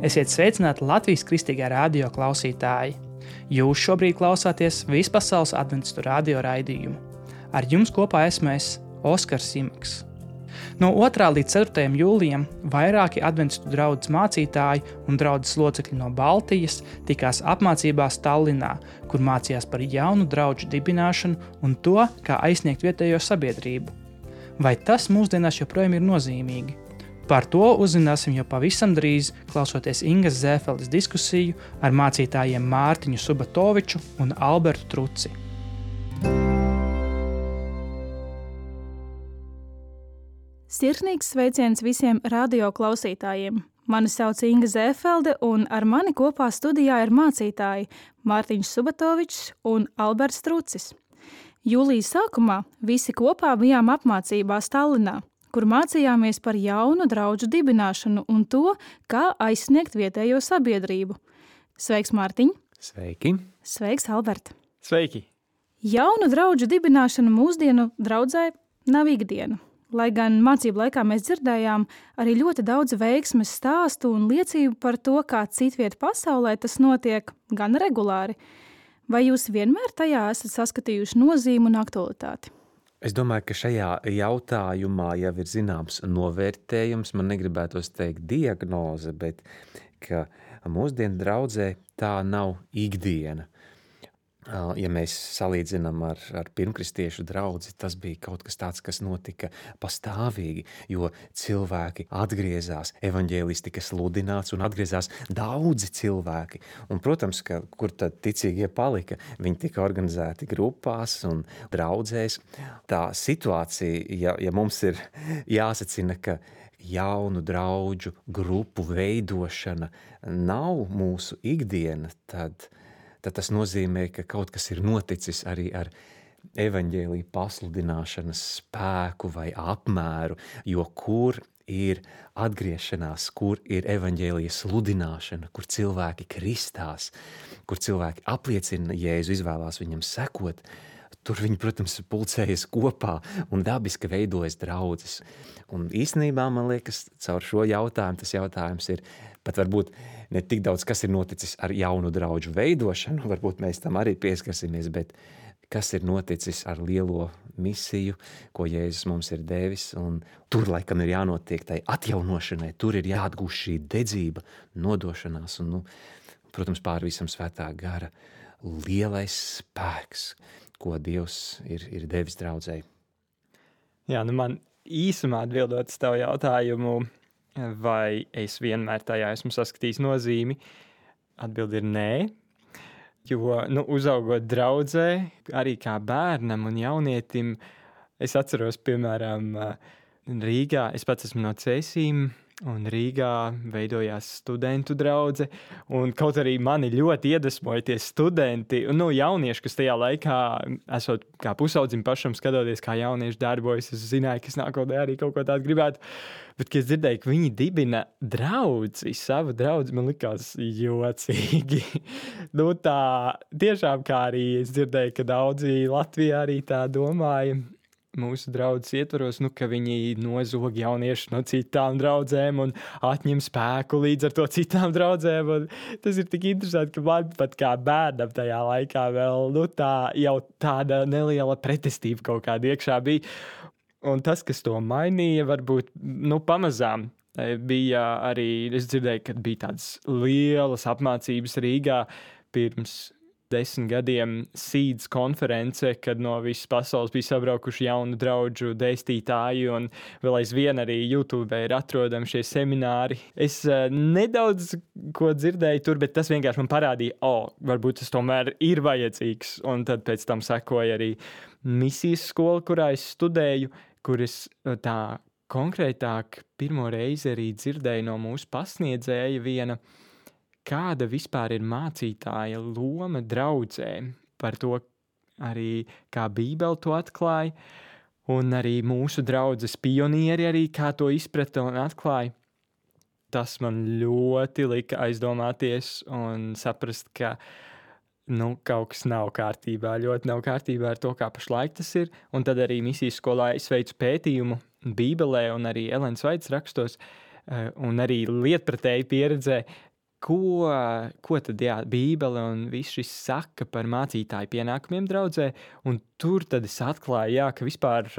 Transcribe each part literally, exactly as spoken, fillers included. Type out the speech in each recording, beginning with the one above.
Esiet sveicināti Latvijas Kristīgā radio klausītāji. Jūs šobrīd klausāties Vispasaules adventistu radio raidījumu. Ar jums kopā esmu es, Oskars Simaks. No otrā līdz ceturtajam jūlijam vairāki adventistu draudzes mācītāji un draudzes locekļi no Baltijas tikās apmācībās Tallinā, kur mācījās par jaunu draudžu dibināšanu un to, kā aizsniegt vietējo sabiedrību. Vai tas mūsdienās joprojām ir nozīmīgi? Par to uzzināsim jau pavisam drīz, klausoties Ingas Zēfeles diskusiju ar mācītājiem Mārtiņu Subatoviču un Albertu Truci. Sirsnīgs sveiciens visiem radio klausītājiem. Mani sauc Inga Zēfelde un ar mani kopā studijā ir mācītāji Mārtiņš Subatovičs un Alberts Trucis. Jūlijas sākumā visi kopā bijām apmācībās Tallinā, kur mācījāmies par jaunu draudžu dibināšanu un to, kā aizsniegt vietējo sabiedrību. Sveiks, Mārtiņ! Sveiki! Sveiks, Albert! Sveiki! Jaunu draudžu dibināšana mūsdienu draudzē nav ikdiena. Lai gan mācību laikā mēs dzirdējām arī ļoti daudz veiksmes stāstu un liecību par to, kā citviet pasaulē tas notiek gan regulāri. Vai jūs vienmēr tajā esat saskatījuši nozīmi un aktualitāti? Es domāju, ka šajā jautājumā jau ir zināms novērtējums, man negribētos teikt diagnoze, bet ka mūsdienu draudzē tā nav ikdiena. Ja mēs salīdzinām ar, ar pirmkristiešu draudzi, tas bija kaut kas tāds, kas notika pastāvīgi, jo cilvēki atgriezās, evaņģēlijs tika sludināts un atgriezās daudzi cilvēki. Un, protams, ka kur tad ticīgie palika, viņi tika organizēti grupās un draudzēs. Tā situācija, ja, ja mums ir jāsacina, ka jaunu draudžu grupu veidošana nav mūsu ikdiena, tad tad tas nozīmē, ka kaut kas ir noticis arī ar evaņģēlija pasludināšanas spēku vai apmēru, jo kur ir atgriešanās, kur ir evaņģēlija sludināšana, kur cilvēki kristās, kur cilvēki apliecina Jēzu, izvēlās viņam sekot, tur viņi, protams, pulcējas kopā un dabiski veidojas draudzes. Un īstenībā, man liekas, caur šo jautājumu, tas jautājums ir pat varbūt ne tik daudz, kas ir noticis ar jaunu draudžu veidošanu, varbūt mēs tam arī pieskarsimies, bet kas ir noticis ar lielo misiju, ko Jēzus mums ir devis, un tur laikam ir jānotiek tai atjaunošanai, tur ir jāatgūst šī dedzība, nodošanās, un, nu, protams, pār visam svētā gara lielais spēks, ko Dievs ir, ir devis draudzei. Jā, nu man īsumā atbildot uz tavu jautājumu, vai es vienmēr tajā esmu saskatījis nozīmi, atbildi ir nē, jo, nu, uzaugot draudzē, arī kā bērnam un jaunietim, es atceros, piemēram, Rīgā, es pats esmu no Cēsīm, un Rīgā veidojās studentu draudze, un kaut arī mani ļoti iedvesmoja tie studenti, un, nu, jaunieši, kas tajā laikā, esot kā pusaudzim pašam skatoties, kā jaunieši darbojas, es zināju, ka es nākotnē arī kaut ko tādu gribētu, bet, kad es dzirdēju, ka viņi dibina draudzi, savu draudzi, man likās jocīgi. Nu, tā, tiešām kā arī es dzirdēju, ka daudzi Latvijā arī tā domāja, mūsu draudzes ietvaros, nu, ka viņi nozog jaunieši no citām draudzēm un atņem spēku līdz ar to citām draudzēm. Un tas ir tik interesanti, ka man pat kā bērnam tajā laikā vēl, nu, tā jau tāda neliela pretestība kaut kāda iekšā bija. Un tas, kas to mainīja, varbūt, nu, pamazām bija arī, es dzirdēju, ka bija tādas lielas apmācības Rīgā pirms desmit gadiem Seeds konference, kad no visas pasaules bija sabraukuši jaunu draudžu dēstītāji, un vēl aizvien arī YouTube ir atrodami šie semināri. Es uh, nedaudz ko dzirdēju tur, bet tas vienkārši man parādīja, o, oh, varbūt tas tomēr ir vajadzīgs, un tad pēc tam sekoja arī misijas skola, kurā es studēju, kur es tā konkrētāk pirmo reizi arī dzirdēju no mūsu pasniedzēja viena, kāda vispār ir mācītāja loma draudzē, par to arī kā Bībele to atklāja, un arī mūsu draudzes pionieri arī kā to izprata un atklāja. Tas man ļoti lika aizdomāties un saprast, ka nu, kaut kas nav kārtībā, ļoti nav kārtībā ar to, kā pašlaik tas ir, un tad arī misijas skolā es veicu pētījumu Bībelē un arī Elens Vaits rakstos, un arī lietpratēji pieredzē, ko, ko tad jā, Bībele un viss šis saka par mācītāju pienākumiem draudzē, un tur tad es atklāju, jā, ka vispār,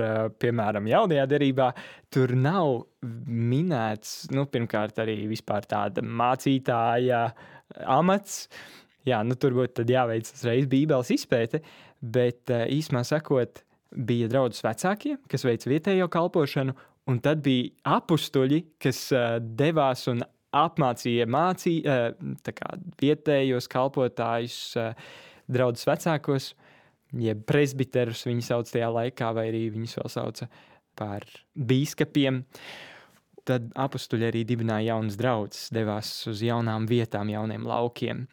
piemēram, jaunajā derībā, tur nav minēts, nu, pirmkārt arī vispār tāda mācītāja amats, jā, nu, tur būtu tad jāveic uzreiz Bībeles izpēte, bet īsumā sakot, bija draudzes vecākie, kas veic vietējo kalpošanu, un tad bija apustuļi, kas devās un apmācīja mācī, tā kā vietējos kalpotājus, draudzes vecākos, jeb presbiterus viņi sauc tajā laikā, vai arī viņus vēl sauca par bīskapiem. Tad apustuļi arī dibināja jaunas draudzes, devās uz jaunām vietām, jauniem laukiem.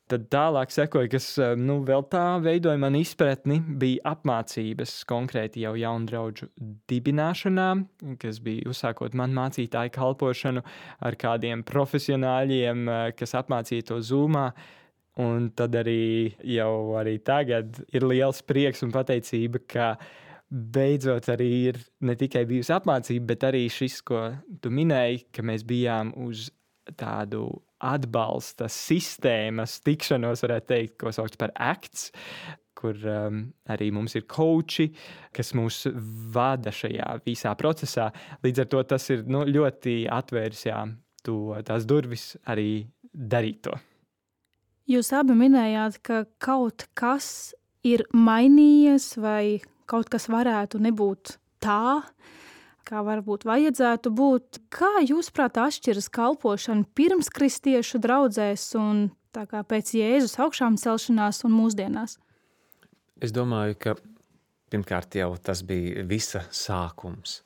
Tad tālāk sekoja, kas nu, vēl tā veidoja man izpratni, bija apmācības konkrēti jau jaunu draudžu dibināšanā, kas bija uzsākot man mācītāju kalpošanu ar kādiem profesionāļiem, kas apmācīja to Zoomā. Un tad arī jau arī tagad ir liels prieks un pateicība, ka beidzot arī ir ne tikai bijusi apmācība, bet arī šis, ko tu minēji, ka mēs bijām uz tādu atbalsta sistēmas tikšanos, varētu teikt, ko sauc par acts, kur um, arī mums ir coachi, kas mūs vada šajā visā procesā. Līdz ar to tas ir nu, ļoti atvēris jā, to, tās durvis arī darīt to. Jūs abi minējāt, ka kaut kas ir mainījies vai kaut kas varētu nebūt tā, kā varbūt vajadzētu būt. Kā jūsuprāt atšķiras kalpošana pirms kristiešu draudzēs un tā kā pēc Jēzus augšām celšanās un mūsdienās? Es domāju, ka pirmkārt jau tas bija visa sākums.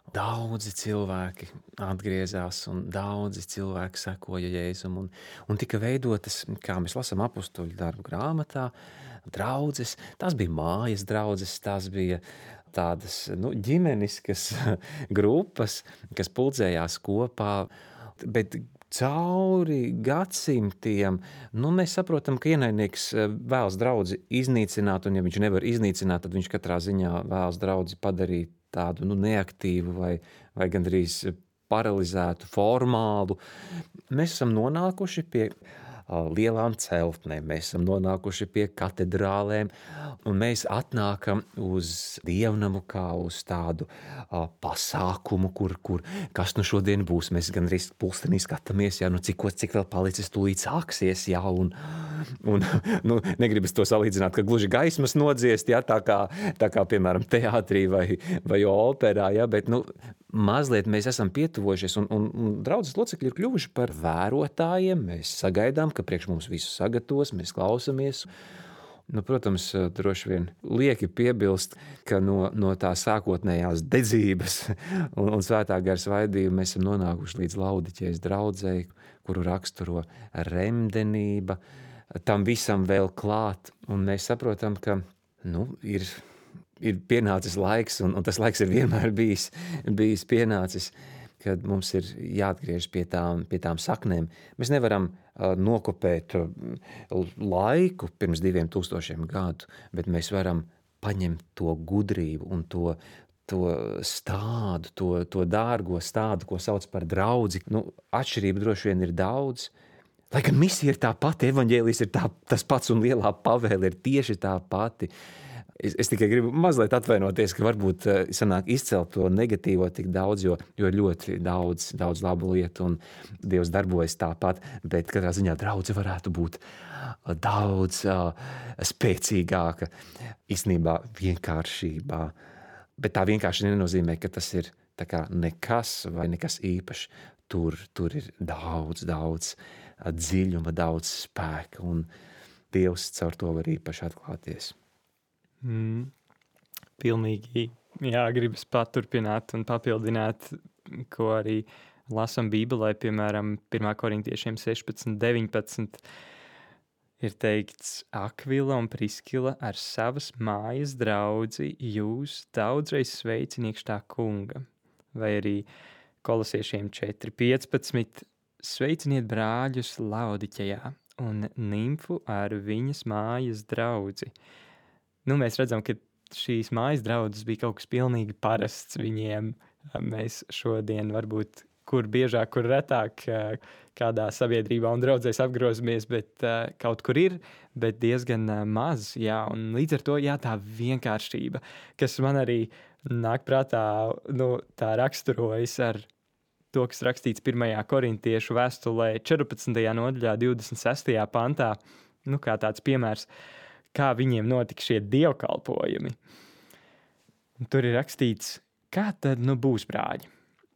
Daudzi cilvēki atgriezās un daudzi cilvēki sekoja Jēzum un, un tika veidotas, kā mēs lasām apustuļu darbu grāmatā, draudzes. Tās bija mājas draudzes, tās bija tādas nu, ģimeniskas grupas, kas pulcējās kopā, bet cauri gadsimtiem nu, mēs saprotam, ka ienaidnieks vēlas draudzi iznīcināt, un ja viņš nevar iznīcināt, tad viņš katrā ziņā vēlas draudzi padarīt tādu nu, neaktīvu vai, vai gandrīz paralizētu, formālu. Mēs esam nonākuši pie lielām celtnēm, mēs esam nonākuši pie katedrālēm, un mēs atnākam uz dievnamu kā uz tādu uh, pasākumu, kur, kur kas nu šodien būs. Mēs gan arī pulkstenī skatāmies, jā, nu cik, cik vēl palicis, tūlīt sāksies, jā, un, un nu, negribas to salīdzināt, ka gluži gaismas nodziest, jā, tā kā, tā kā piemēram, teātrī vai, vai operā, jā, bet, nu, mazliet mēs esam pietuvojušies, un, un, un draudzes locekļi ir kļuvuši par vērotājiem, mēs sagaidām, ka priekš mums visu sagatavos, mēs klausamies. Nu, protams, droši vien lieki piebilst, ka no, no tā sākotnējās dedzības un, un svētā gara svaidījuma mēs esam nonākuši līdz Laudiķijas draudzei, kuru raksturo remdenība, tam visam vēl klāt, un mēs saprotam, ka nu, ir, ir pienācis laiks, un, un tas laiks ir vienmēr bijis, bijis pienācis, kad mums ir jāatgriež pie tām, pie tām saknēm. Mēs nevaram uh, nokopēt uh, laiku pirms diviem tūkstošiem gadu, bet mēs varam paņemt to gudrību un to, to stādu, to, to dārgo stādu, ko sauc par draudzi. Nu, atšķirība droši vien ir daudz, lai gan misija ir tā pati, evaņģēlijs ir tā, tas pats un lielā pavēle ir tieši tā pati. Es, es tikai gribu mazliet atvainoties, ka varbūt sanāk izcelt to negatīvo tik daudz, jo, jo ļoti daudz, daudz labu lietu un Dievs darbojas tāpat, bet katrā ziņā draudze varētu būt daudz uh, spēcīgāka, īstenībā vienkāršībā. Bet tā vienkārši nenozīmē, ka tas ir tā kā nekas vai nekas īpašs. Tur, tur ir daudz, daudz dziļuma, daudz spēka, un Dievs caur to var īpaši atklāties. Mm, pilnīgi, jā, gribas paturpināt un papildināt, ko arī lasam Bībelē, piemēram, pirmā korintiešiem sešpadsmit, deviņpadsmit, ir teikts, Akvila un Priskila ar savas mājas draudzi jūs daudzreiz sveiciniekš tā kunga, vai arī Kolosiešiem četri piecpadsmit, sveiciniet brāļus Laodiķejā un Nimfu ar viņas mājas draudzi. Nu, mēs redzam, ka šīs mājas draudzes bija kaut kas pilnīgi parasts viņiem. Mēs šodien varbūt kur biežāk, kur retāk kādā sabiedrībā un draudzēs apgrozamies, bet kaut kur ir, bet diezgan maz, jā, un līdz ar to, jā, tā vienkāršība, kas man arī nāk prātā, nu, tā raksturojas ar to, kas rakstīts pirmajā korintiešu vēstulē četrpadsmitajā nodaļā divdesmit sestajā pantā, nu, kā tāds piemērs, kā viņiem notika šie dievkalpojumi. Tur ir rakstīts, kā tad nu būs, brāļi?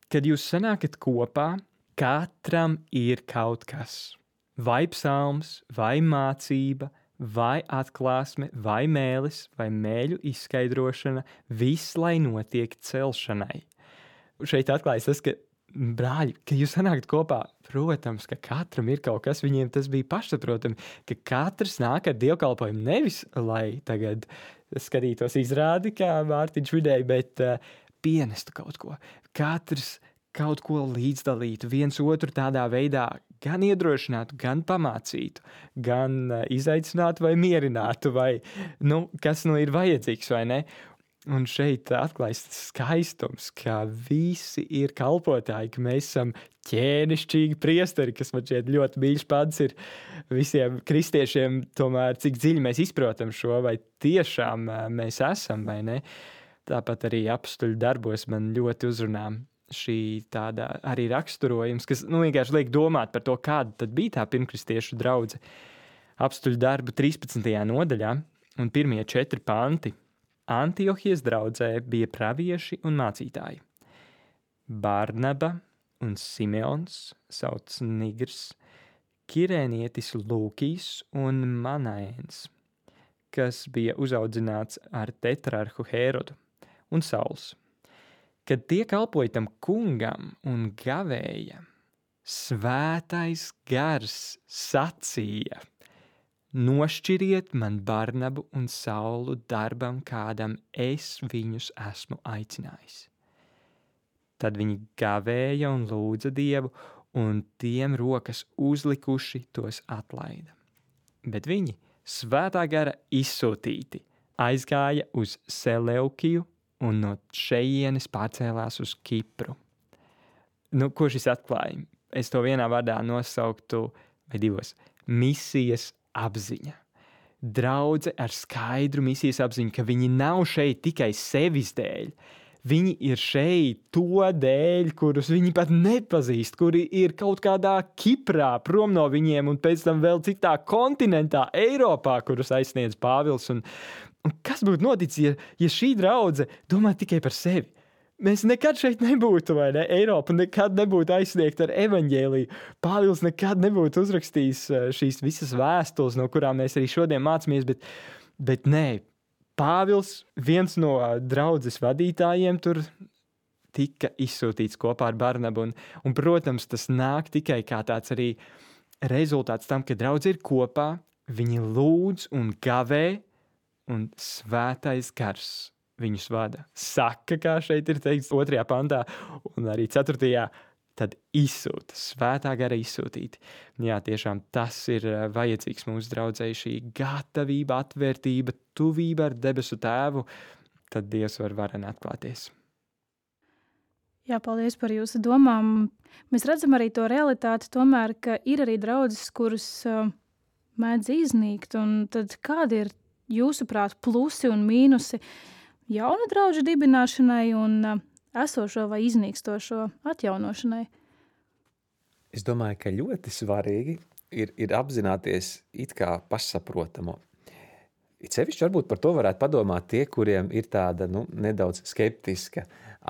Kad jūs sanākat kopā, katram ir kaut kas. Vai psalms, vai mācība, vai atklāsme, vai mēlis, vai mēļu izskaidrošana, viss, lai notiek celšanai. Šeit atklājas tas, ka brāļi, ka jūs sanākat kopā, protams, ka katram ir kaut kas, viņiem tas bija pašsaprotami, ka katrs nāk ar dievkalpojumu nevis, lai tagad skatītos izrādi, kā Mārtiņš vidēji, bet uh, pienestu kaut ko. Katrs kaut ko līdzdalītu, viens otru tādā veidā gan iedrošinātu, gan pamācītu, gan uh, izaicinātu vai mierinātu, vai, nu, kas nu ir vajadzīgs, vai ne? Un šeit atklājas skaistums, ka visi ir kalpotāji, ka mēs esam ķēnišķīgi priesteri, kas man šeit ļoti mīļš pants ir visiem kristiešiem, tomēr cik dziļi mēs izprotam šo, vai tiešām mēs esam, vai ne. Tāpat arī apstuļu darbos man ļoti uzrunā šī tāda arī raksturojums, kas nu, vienkārši liek domāt par to, kāda tad bija tā pirmkristiešu draudze. Apstuļu darbu trīspadsmitajā nodaļā un pirmie četri panti. Antiohijas draudzē bija pravieši un mācītāji. Barnaba un Simeons, sauc Nigrs, Kirēnietis Lūkijs un Manaēns, kas bija uzaudzināts ar tetrarhu Hērodu un Sauls. Kad tie kalpoja tam kungam un gavēja, svētais gars sacīja: nošķiriet man Barnabu un Saulu darbam, kādam es viņus esmu aicinājis. Tad viņi gavēja un lūdza Dievu, un tiem rokas uzlikuši tos atlaida. Bet viņi, svētā gara izsūtīti, aizgāja uz Seleukiju un no šejienes pārcēlās uz Kipru. Nu, ko šis atklāja? Es to vienā vārdā nosauktu, vai divos, misijas apziņa. Draudze ar skaidru misijas apziņu, ka viņi nav šeit tikai sevis dēļ. Viņi ir šeit to dēļ, kurus viņi pat nepazīst, kuri ir kaut kādā Kiprā prom no viņiem un pēc tam vēl citā kontinentā, Eiropā, kurus aizsniedz Pāvils. Un, un kas būtu noticis, ja, ja šī draudze domā tikai par sevi? Mēs nekad šeit nebūtu, vai ne? Eiropa nekad nebūtu aizsniegta ar evaņģēliju. Pāvils nekad nebūtu uzrakstījis šīs visas vēstules, no kurām mēs arī šodien mācāmies, bet, bet nē, Pāvils, viens no draudzes vadītājiem, tur tika izsūtīts kopā ar Barnabu. Un, un, protams, tas nāk tikai kā tāds arī rezultāts tam, ka draudze ir kopā, viņi lūdz un gavē, un svētais gars viņus vada. Saka, kā šeit ir teikts otrajā pantā, un arī ceturtajā, tad izsūta, svētā gara izsūtīti. Jā, tiešām tas ir vajadzīgs mūsu draudzei, šī gatavība, atvērtība, tuvība ar debesu tēvu, tad Dievs var varen atklāties. Jā, paldies par jūsu domām. Mēs redzam arī to realitāti tomēr, ka ir arī draudzes, kuras uh, mēdz iznīkt, un tad kādi ir jūsuprāt plusi un mīnusi jaunu draudžu dibināšanai un uh, esošo vai iznīkstošo atjaunošanai? Es domāju, ka ļoti svarīgi ir, ir apzināties it kā pašsaprotamo. It sevišķi varbūt par to varētu padomāt tie, kuriem ir tāda nu, nedaudz skeptiska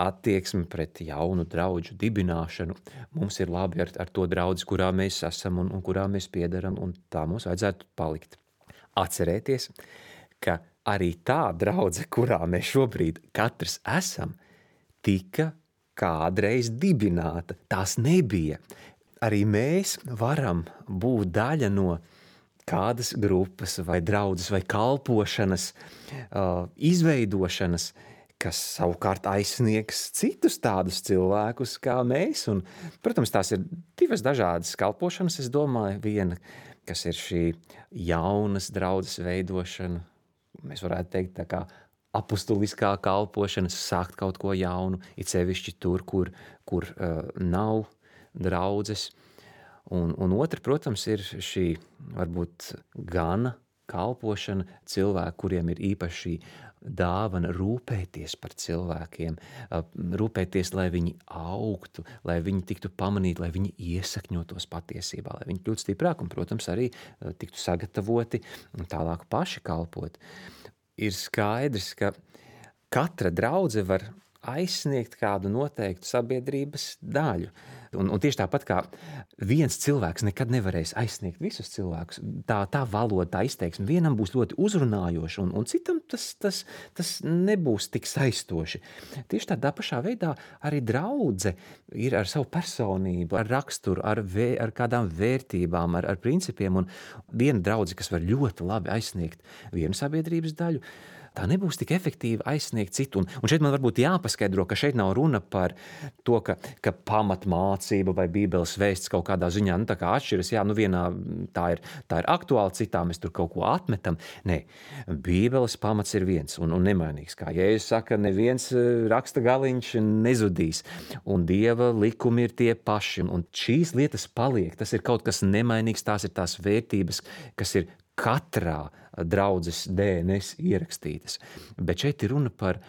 attieksme pret jaunu draudžu dibināšanu. Mums ir labi ar, ar to draudzi, kurā mēs esam un, un kurā mēs piederam, un tā mums vajadzētu palikt. Atcerēties, ka arī tā draudze, kurā mēs šobrīd katrs esam, tika kādreiz dibināta. Tās nebija. Arī mēs varam būt daļa no kādas grupas vai draudzes vai kalpošanas, uh, izveidošanas, kas savukārt aizsniegs citus tādus cilvēkus kā mēs. Un, protams, tās ir divas dažādas kalpošanas, es domāju. Viena, kas ir šī jaunas draudzes veidošana, mēs varētu teikt tā kā apustuliskā kalpošana, sākt kaut ko jaunu, it sevišķi tur, kur, kur uh, nav draudzes. Un, un otra, protams, ir šī varbūt gana kalpošana cilvēku, kuriem ir īpaši dāvana rūpēties par cilvēkiem, rūpēties, lai viņi augtu, lai viņi tiktu pamanīti, lai viņi iesakņotos patiesībā, lai viņi kļūtu stiprāk un, protams, arī tiktu sagatavoti un tālāk paši kalpot. Ir skaidrs, ka katra draudze var aizsniegt kādu noteiktu sabiedrības daļu. Un, un tieši tāpat kā viens cilvēks nekad nevarēs aizsniegt visus cilvēkus, tā, tā valoda, tā izteiksme vienam būs ļoti uzrunājoša, un, un citam tas, tas, tas nebūs tik saistoši. Tieši tādā pašā veidā arī draudze ir ar savu personību, ar raksturu, ar, vē, ar kādām vērtībām, ar, ar principiem, un viena draudze, kas var ļoti labi aizsniegt vienu sabiedrības daļu, tā nebūs tik efektīvi aizsniegt citu. Un, un šeit man varbūt jāpaskaidro, ka šeit nav runa par to, ka, ka pamatmācība vai bībeles vēsts kaut kādā ziņā nu, tā kā atšķiras. Jā, nu vienā tā ir, tā ir aktuāla, citā mēs tur kaut ko atmetam. Nē, bībeles pamats ir viens un, un nemainīgs. Kā Jēzus saka, neviens raksta galiņš nezudīs. Un Dieva likumi ir tie paši. Un šīs lietas paliek. Tas ir kaut kas nemainīgs. Tās ir tās vērtības, kas ir katrā draudzes D N S ierakstītas. Bet šeit ir runa par,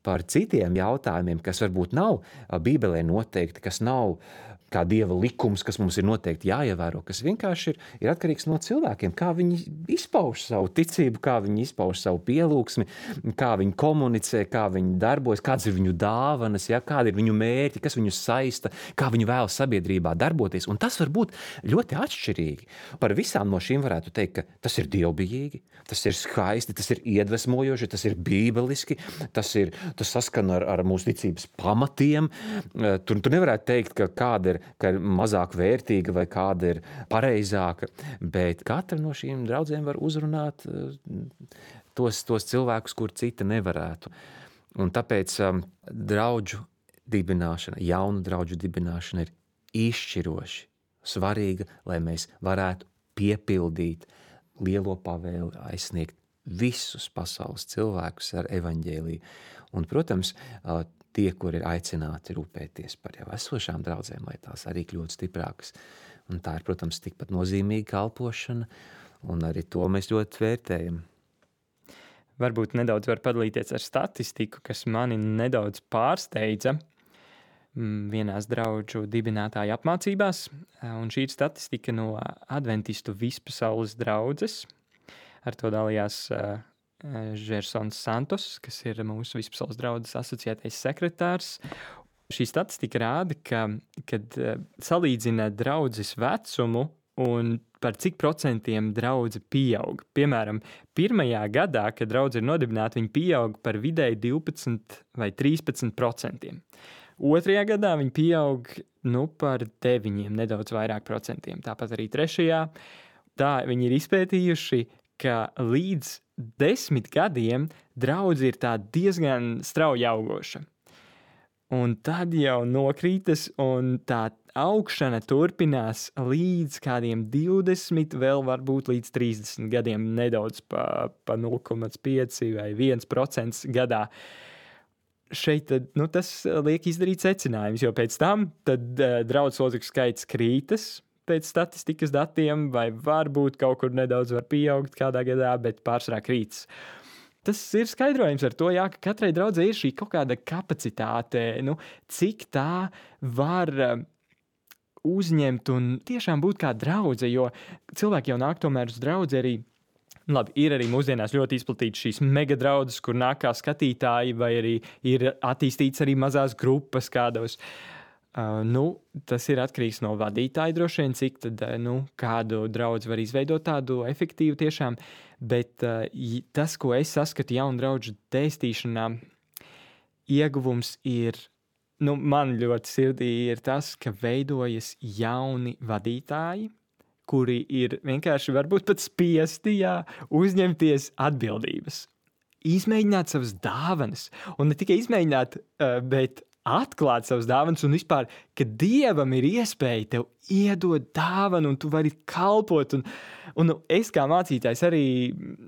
par citiem jautājumiem, kas varbūt nav Bībelē noteikti, kas nav kā Dieva likums, kas mums ir noteikti jāievēro, kas vienkārši ir, ir atkarīgs no cilvēkiem, kā viņi izpauž savu ticību, kā viņi izpauž savu pielūgsmi, kā viņi komunicē, kā viņi darbojas, kādas ir viņu dāvanas, ja, kādi ir viņu mērķi, kas viņus saista, kā viņi vēlas sabiedrībā darboties. Un tas var būt ļoti atšķirīgi. Par visām no šīm varētu teikt, ka tas ir dievbijīgi, tas ir skaisti, tas ir iedvesmojoši, tas ir bībeliski, tas, ir, tas saskan ar, ar mūsu ticības pamatiem. Tur, tur nevarētu teikt, ka kāda ir ka ir mazāk vērtīga vai kāda ir pareizāka, bet katra no šīm draudzēm var uzrunāt tos, tos cilvēkus, kur cita nevarētu. Un tāpēc um, draudžu dibināšana, jaunu draudžu dibināšana ir izšķiroši svarīga, lai mēs varētu piepildīt lielo pavēli, aizsniegt visus pasaules cilvēkus ar evaņģēliju. Un, protams, tie, kur ir aicināti rūpēties par jau esošām draudzēm, lai tās arī kļūtu stiprākas. Un tā ir, protams, tikpat nozīmīga kalpošana, un arī to mēs ļoti vērtējam. Varbūt nedaudz var padalīties ar statistiku, kas mani nedaudz pārsteidza vienās draudžu dibinātāju apmācībās, un šī ir statistika no Adventistu vispasaules draudzes. Ar to dalījās Žersons Santos, kas ir mūsu vispasaules draudzes asociētais sekretārs. Šī statistika rāda, ka, kad salīdzina draudzes vecumu un par cik procentiem draudze pieaug. Piemēram, pirmajā gadā, kad draudze ir nodibināta, viņa pieaug par vidēji divpadsmit vai trīspadsmit procentiem. Otrajā gadā viņa pieaug nu, par deviņiem, nedaudz vairāk procentiem. Tāpat arī trešajā. Tā viņi ir izpētījuši, ka līdz desmit gadiem draudze ir tā diezgan strauji augoša. Un tad jau nokrītas, un tā augšana turpinās līdz kādiem divdesmit, vēl varbūt līdz trīsdesmit gadiem, nedaudz pa, pa nulle komats pieci vai viens procents gadā. Šeit tad, nu, tas liek izdarīt secinājums, jo pēc tam tad uh, draudzes locekļu skaits krītas pēc statistikas datiem, vai varbūt kaut kur nedaudz var pieaugt kādā gadā, bet pārsvarā krītas. Tas ir skaidrojums ar to, jā, ka katrai draudzei ir šī kaut kāda kapacitāte, nu, cik tā var uh, uzņemt un tiešām būt kā draudze, jo cilvēki jau nāk tomēr uz draudzi arī. Labi, ir arī mūsdienās ļoti izplatītas šīs megadraudzes, kur nāk kā skatītāji, vai arī ir attīstīts arī mazās grupas kādos. Uh, nu, tas ir atkarīgs no vadītāja droši vien, cik tad, nu, kādu draudzi var izveidot tādu efektīvu tiešām, bet uh, tas, ko es saskatu jaunu draudžu dēstīšanā, ieguvums ir, nu, man ļoti sirdī ir tas, ka veidojas jauni vadītāji, kuri ir vienkārši varbūt pat spiesti, jā, uzņemties atbildības. Izmēģināt savas dāvanas, un ne tikai izmēģināt, bet atklāt savas dāvanas un vispār, ka Dievam ir iespēja tev iedot dāvanu un tu vari kalpot. Un, un es kā mācītājs arī,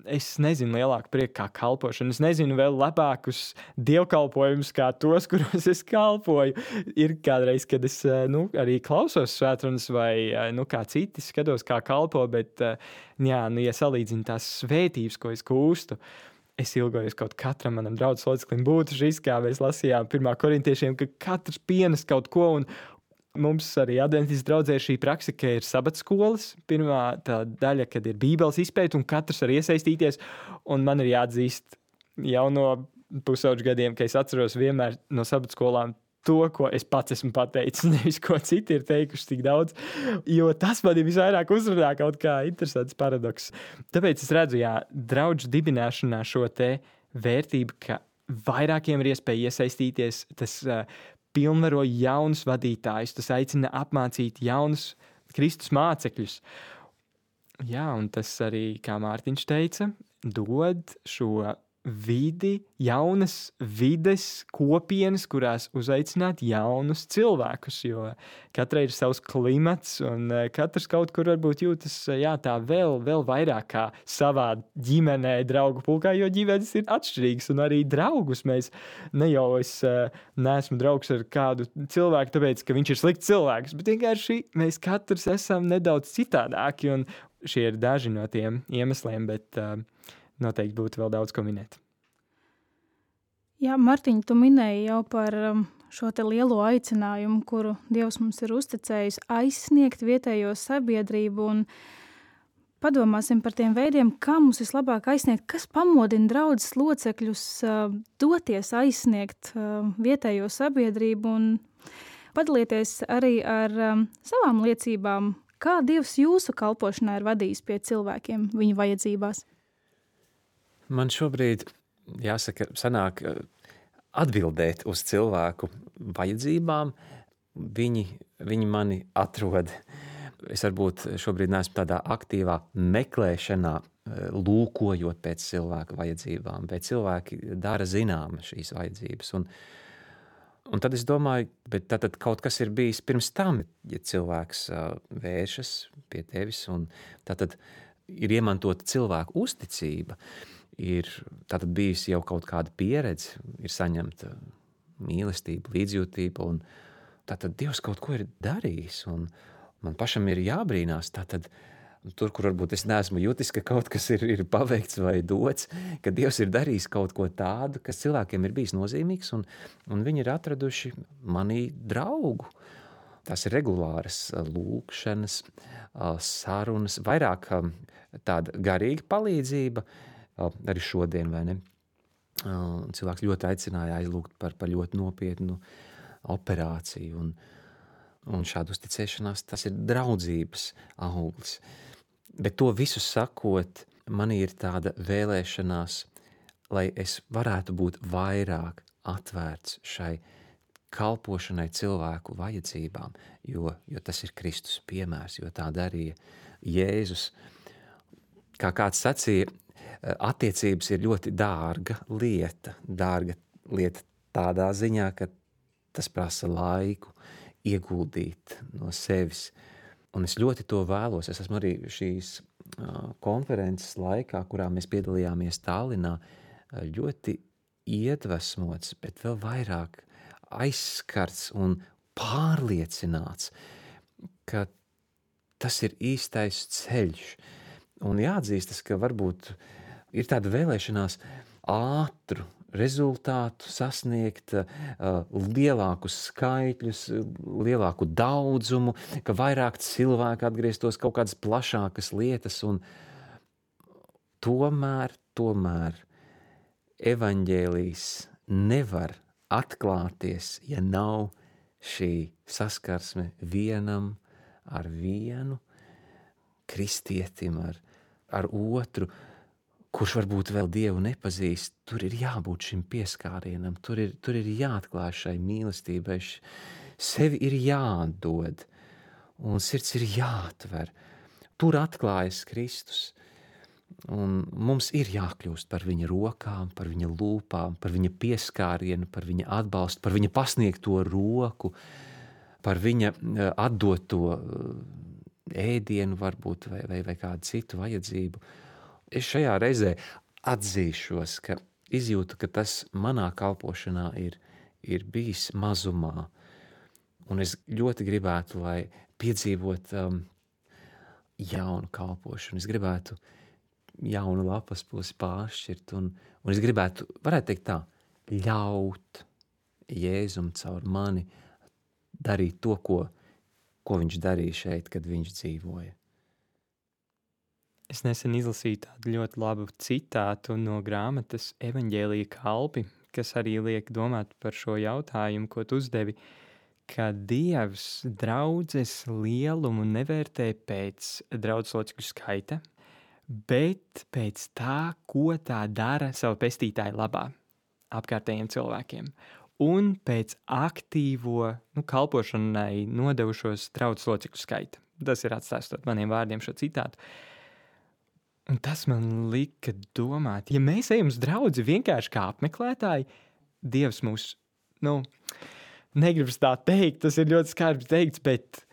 es nezinu lielāku prieku kā kalpošanu. Es nezinu vēl labākus dievkalpojumus kā tos, kuros es kalpoju. Ir kādreiz, kad es nu, arī klausos svētrunas vai nu, kā citi skatos, kā kalpo, bet jā, nu, ja salīdzinu tās svētības, ko es gūstu, es ilgojos kaut katram manam draudzes loceklim būtu šis, kā mēs lasījām pirmā korintiešiem, ka katrs pienes kaut ko, un mums arī adventistu draudzē ir šī praksa, ka ir sabatskolas. Pirmā tā daļa, kad ir bībeles izpēta, un katrs var iesaistīties, un man ir jāatzīst jau no pusauģu gadiem, ka es atceros vienmēr no sabatskolām to, ko es pats esmu pateicis, nevis ko citi ir teikuši tik daudz, jo tas man ir visvairāk uzrunā kaut kā interesants paradoks. Tāpēc es redzu, jā, draudžu dibināšanā šo te vērtību, ka vairākiem ir iespēja iesaistīties, tas uh, pilnvaro jaunus vadītājus, tas aicina apmācīt jaunus Kristus mācekļus. Jā, un tas arī, kā Mārtiņš teica, dod šo vidi, jaunas vides, kopienas, kurās uzaicināt jaunus cilvēkus, jo katrai ir savs klimats un katrs kaut kur varbūt jūtas jā, tā vēl, vēl vairāk kā savā ģimenē, draugu pulkā, jo ģimenes ir atšķirīgas un arī draugus mēs ne jau es neesmu draugs ar kādu cilvēku, tāpēc, ka viņš ir slikts cilvēks, bet vienkārši mēs katrs esam nedaudz citādāki un šie ir daži no tiem iemesliem, bet uh, noteikti būtu vēl daudz ko minēt. Jā, Martiņ, tu minēji jau par šo te lielo aicinājumu, kuru Dievs mums ir uzticējis aizsniegt vietējo sabiedrību, un padomāsim par tiem veidiem, kā mums vislabāk aizsniegt, kas pamodina draudzes locekļus doties aizsniegt vietējo sabiedrību, un padalieties arī ar savām liecībām, kā Dievs jūsu kalpošanā ir vadījis pie cilvēkiem viņu vajadzībās. Man šobrīd, jāsaka, sanāk atbildēt uz cilvēku vajadzībām. Viņi, viņi mani atrod. Es varbūt šobrīd neesmu tādā aktīvā meklēšanā, lūkojot pēc cilvēku vajadzībām, bet cilvēki dara zināma šīs vajadzības. Un, un tad es domāju, bet tātad kaut kas ir bijis pirms tam, ja cilvēks vēršas pie tevis, un tātad ir iemantota cilvēku uzticība. Ir tātad bijusi jau kaut kāda pieredze, ir saņemta mīlestība, līdzjūtība, un tātad Dievs kaut ko ir darījis, un man pašam ir jābrīnās, tātad tur, kur varbūt es neesmu jutis, ka kaut kas ir, ir paveikts vai dots, ka Dievs ir darījis kaut ko tādu, kas cilvēkiem ir bijis nozīmīgs, un, un viņi ir atraduši manī draugu. Tās ir regulāras lūkšanas, sarunas, vairāk tāda garīga palīdzība, arī šodien, vai ne? Cilvēks ļoti aicināja aizlūgt par, par ļoti nopietnu operāciju, un, un šādu uzticēšanās, tas ir draudzības auglis. Bet to visu sakot, man ir tāda vēlēšanās, lai es varētu būt vairāk atvērts šai kalpošanai cilvēku vajadzībām, jo, jo tas ir Kristus piemērs, jo tā darīja Jēzus. Kā kāds sacīja, attiecības ir ļoti dārga lieta. Dārga lieta tādā ziņā, ka tas prasa laiku ieguldīt no sevis. Un es ļoti to vēlos. Es esmu arī šīs konferences laikā, kurā mēs piedalījāmies Tallinā, ļoti iedvesmots, bet vēl vairāk aizskarts un pārliecināts, ka tas ir īstais ceļš. Un jāatzīstas, ka varbūt ir tāda vēlēšanās ātru rezultātu sasniegt, lielākus skaitļus, lielāku daudzumu, ka vairāk cilvēku atgrieztos kaut kādas plašākas lietas, un tomēr, tomēr evaņģēlijs nevar atklāties, ja nav šī saskarsme vienam ar vienu kristietim, ar ar otru, kurš varbūt vēl Dievu nepazīst. Tur ir jābūt šim pieskārienam, tur ir, tur ir jāatklāj šai mīlestībai, sevi ir jāatdod, un sirds ir jāatver. Tur atklājas Kristus. Un mums ir jākļūst par viņa rokām, par viņa lūpām, par viņa pieskārienu, par viņa atbalstu, par viņa pasniegto roku, par viņa atdoto ēdienu varbūt vai, vai, vai kādu citu vajadzību. Es šajā reizē atzīšos, ka izjūtu, ka tas manā kalpošanā ir, ir bijis mazumā. Un es ļoti gribētu, lai piedzīvot um, jaunu kalpošanu. Es gribētu jaunu lapas pusi pāršķirt, un, un es gribētu, varētu teikt tā, ļaut Jēzum caur mani darīt to, ko, ko viņš darīja šeit, kad viņš dzīvoja. Es nesen izlasīju tādu ļoti labu citātu no grāmatas Evaņģēlija kalpi, kas arī liek domāt par šo jautājumu, ko tu uzdevi, ka Dievs draudzes lielumu nevērtē pēc draudzes locekļu skaita, bet pēc tā, ko tā dara savu pestītāju labā apkārtējiem cilvēkiem. Un pēc aktīvo nu, kalpošanai nodevušos draudzes locekļu skaita. Tas ir atstāstot maniem vārdiem šo citātu. Un tas man lika domāt, ja mēs ejam uz draudzi vienkārši kā apmeklētāji, Dievs mūs, nu, negribas tā teikt, tas ir ļoti skarbs teikts, bet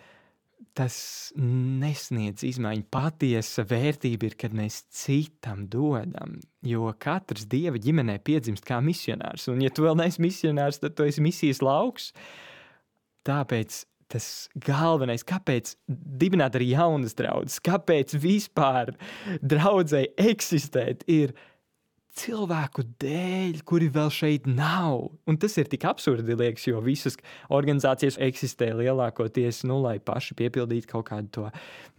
tas nesniedz izmaiņu. Patiesa vērtība ir, kad mēs citam dodam, jo katrs Dieva ģimenē piedzimst kā misionārs, un ja tu vēl neesi misionārs, tad tu esi misijas lauks. Tāpēc tas galvenais, kāpēc dibināt arī jaunas draudzes, kāpēc vispār draudzei eksistēt, ir cilvēku dēļ, kuri vēl šeit nav. Un tas ir tik absurdi, liekas, jo visas organizācijas eksistē lielākoties, nu, lai paši piepildītu kaut kādu to,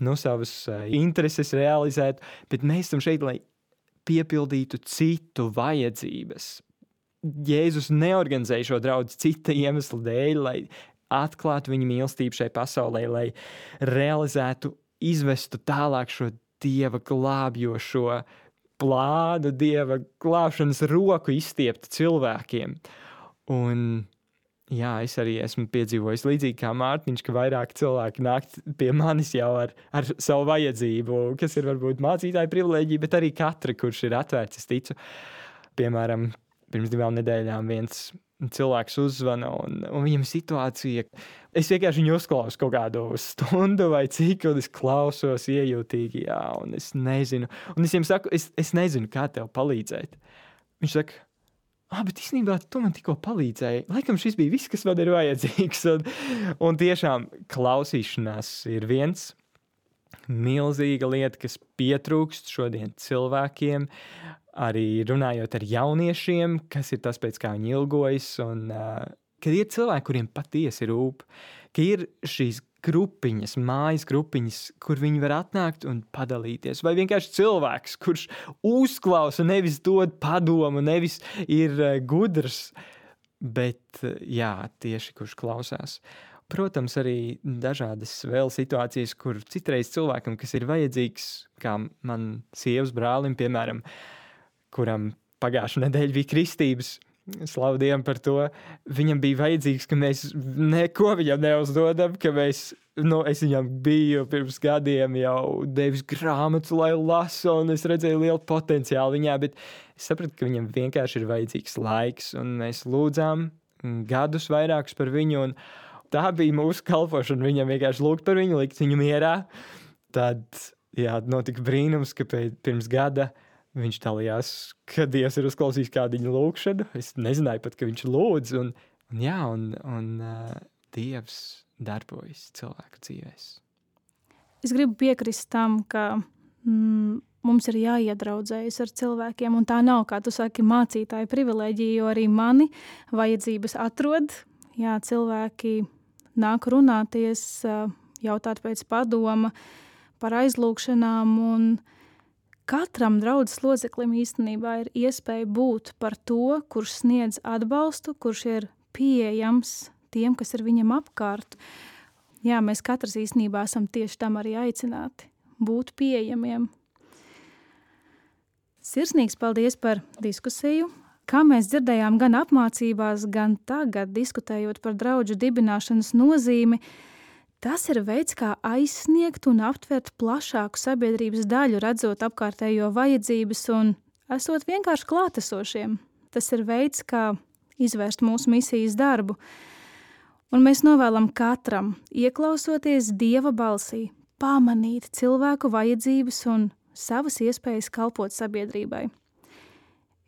nu, savas uh, intereses realizētu, bet mēs esam šeit, lai piepildītu citu vajadzības. Jēzus neorganizēja šo draudzi cita iemesla dēļ, lai atklātu viņa mīlestību šai pasaulē, lai realizētu, izvestu tālāk šo Dieva glābjošo plānu, Dieva glābšanas roku izstieptu cilvēkiem. Un jā, es arī esmu piedzīvojis līdzīgi kā Mārtiņš, ka vairāk cilvēki nāk pie manis jau ar, ar savu vajadzību, kas ir varbūt mācītāja privilēģija, bet arī katra, kurš ir atvērts, es ticu. Piemēram, pirms divām nedēļām viens cilvēks uzzvana, un, un viņam situācija, es vienkārši viņu uzklausu kaut kādu stundu vai cik, un es klausos iejūtīgi, jā, un es nezinu, un es viņam saku, es, es nezinu, kā tev palīdzēt. Viņš saka, ah, bet īstenībā tu man tikko palīdzēji, laikam šis bija viss, kas man ir vajadzīgs, un, un tiešām klausīšanās ir viens milzīga lieta, kas pietrūkst šodien cilvēkiem, arī runājot ar jauniešiem, kas ir tas, pēc kā viņi ilgojas, un uh, kad ir cilvēki, kuriem patiesi rūp, ka ir šīs grupiņas, mājas grupiņas, kur viņi var atnākt un padalīties, vai vienkārši cilvēks, kurš uzklausa, nevis dod padomu, nevis ir uh, gudrs, bet uh, jā, tieši kurš klausās. Protams, arī dažādas vēl situācijas, kur citreiz cilvēkam, kas ir vajadzīgs, kā man sievas brālim, piemēram, kuram pagājušā nedēļa bija kristības, slavu Dievam par to, viņam bija vajadzīgs, ka mēs neko viņam neuzdodam, ka mēs, nu, es viņam biju pirms gadiem jau devis grāmatu, lai lasu, un es redzēju lielu potenciālu viņā, bet es sapratu, ka viņam vienkārši ir vajadzīgs laiks, un mēs lūdzām gadus vairākus par viņu, un tā bija mūsu kalpošana, viņam vienkārši lūgt par viņu, likt viņu mierā. Tad, jā, notika brīnums, ka pirms gada viņš dalījās, ka Dievs ir uzklausījis kādu viņa lūkšanu. Es nezināju pat, ka viņš lūdz, un, un jā, un, un uh, Dievs darbojas cilvēku dzīvēs. Es gribu piekrist tam, ka mm, mums ir jāiedraudzējas ar cilvēkiem, un tā nav, kā tu saki, mācītāja privilēģija, jo arī mani vajadzības atrod. Jā, cilvēki nāk runāties, jautāt pēc padoma par aizlūkšanām, un katram draudzes loceklim īstenībā ir iespēja būt par to, kurš sniedz atbalstu, kurš ir pieejams tiem, kas ir viņam apkārt. Jā, mēs katrs īstenībā esam tieši tam arī aicināti, būt pieejamiem. Sirsnīgs paldies par diskusiju. Kā mēs dzirdējām gan apmācībās, gan tagad, diskutējot par draudžu dibināšanas nozīmi, Tas ir veids, kā aizsniegt un aptvert plašāku sabiedrības daļu, redzot apkārtējo vajadzības un esot vienkārši klātesošiem. Tas ir veids, kā izvērst mūsu misijas darbu. Un mēs novēlam katram, ieklausoties Dieva balsī, pamanīt cilvēku vajadzības un savas iespējas kalpot sabiedrībai.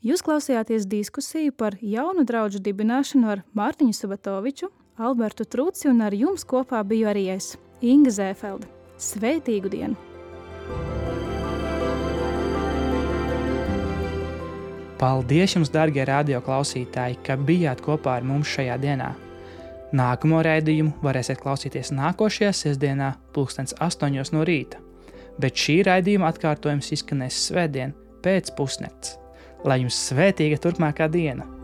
Jūs klausījāties diskusiju par jaunu draudžu dibināšanu ar Mārtiņu Subatoviču, Albertu Truci, un ar jums kopā biju arī es, Inga Zēfelde. Svētīgu dienu! Paldies jums, dargie radio klausītāji, ka bijāt kopā ar mums šajā dienā. Nākamo raidījumu varēsiet klausīties nākošajā sestdienā pulkstens astoņos no rīta, bet šī raidījuma atkārtojums izskanēs svētdien pēc pusnakts. Lai jums svētīga turpmākā diena!